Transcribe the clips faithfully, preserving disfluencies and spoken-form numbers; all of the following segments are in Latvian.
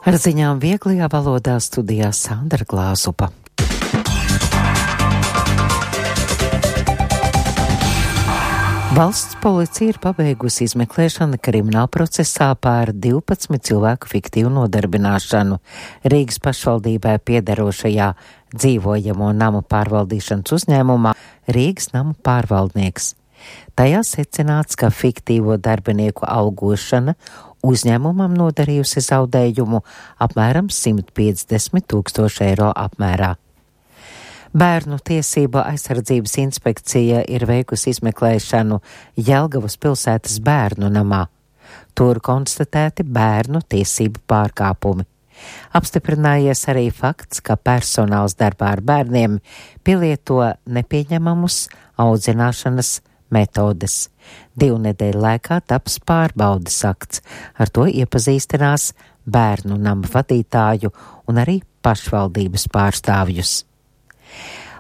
Ar ziņām vieglajā valodā studijā Sandra Glāzupa. Valsts policija ir pabeigusi izmeklēšanu krimināla procesā pār divpadsmit cilvēku fiktīvu nodarbināšanu Rīgas pašvaldībai piederošajā dzīvojamo namu pārvaldīšanas uzņēmumā Rīgas namu pārvaldnieks. Tajā secināts, ka fiktīvo darbinieku algošana uzņēmumam nodarījusi zaudējumu apmēram simt piecdesmit tūkstoši eiro apmērā. Bērnu tiesību aizsardzības inspekcija ir veikusi izmeklēšanu Jelgavas pilsētas bērnu namā. Tur konstatēti bērnu tiesību pārkāpumi. Apstiprinājies arī fakts, ka personāls darbā ar bērniem pielieto nepieņemamus audzināšanas metodes. Divu nedēļu laikā taps pārbaudes akts. Ar to iepazīstinās bērnu nama vadītāju un arī pašvaldības pārstāvjus.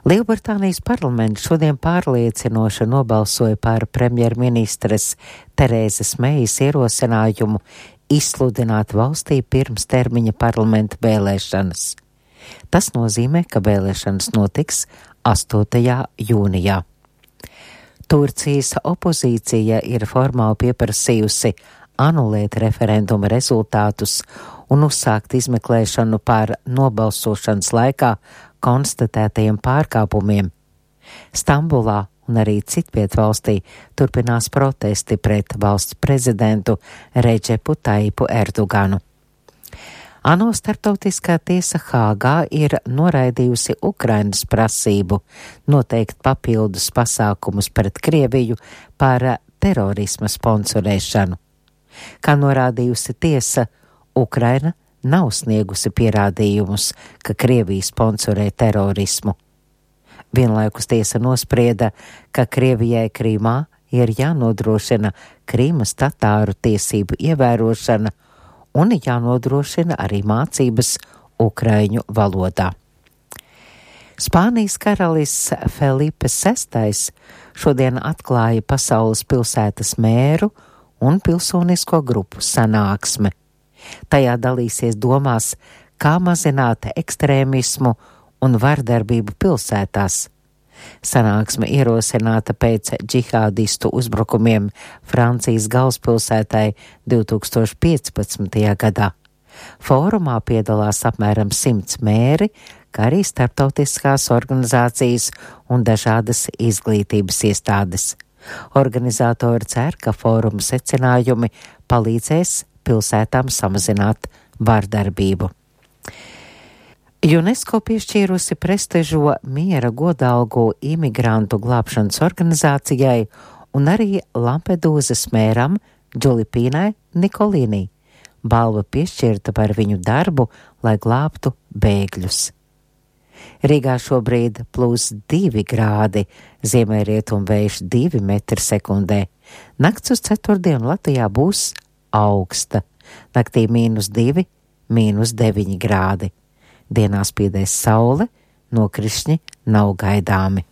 Lielbritānijas parlaments šodien pārliecinoši nobalsoja par premjerministres Terēzes Meijas ierosinājumu izsludināt valstī pirms termiņa parlamenta vēlēšanas. Tas nozīmē, ka vēlēšanas notiks astotajā jūnijā. Turcijas opozīcija ir formāli pieprasījusi anulēt referenduma rezultātus un uzsākt izmeklēšanu par nobalsošanas laikā konstatētajiem pārkāpumiem. Stambulā un arī citviet valstī turpinās protesti pret valsts prezidentu Redžepu Taipu Erdoganu. ANO starptautiskā tiesa Hāgā ir noraidījusi Ukrainas prasību noteikt papildus pasākumus pret Krieviju par terorisma sponsorēšanu. Kā norādījusi tiesa, Ukraina nav sniegusi pierādījumus, ka Krievija sponsorē terorismu. Vienlaikus tiesa nosprieda, ka Krievijai Krīmā ir jānodrošina Krīmas tatāru tiesību ievērošana un jānodrošina arī mācības ukraiņu valodā. Spānijas karalis Felipe sestais šodien atklāja pasaules pilsētas mēru un pilsonisko grupu sanāksme. Tajā dalīsies domās, kā mazināt ekstrēmismu un vardarbību pilsētās. Sanāksme ierosināta pēc džihādistu uzbrukumiem Francijas galvaspilsētai divi tūkstoši piecpadsmitajā gadā. Fórumā piedalās apmēram simts mēri, kā arī starptautiskās organizācijas un dažādas izglītības iestādes. Organizatori cer, ka fóruma secinājumi palīdzēs pilsētām samazināt vardarbību. UNESCO piešķīrusi prestižo miera godalgu imigrantu glābšanas organizācijai un arī Lampedūzas mēram Džulipīnai Nikolīnī. Balva piešķirta par viņu darbu, lai glābtu bēgļus. Rīgā šobrīd plus divi grādi, ziemeļrietumu vējš divi metri sekundē. Nakts uz ceturtdienu Latvijā būs augsta. Naktī mīnus divi, mīnus deviņi grādi. Dienā spīdēs saule, nokrišņi nav gaidāmi.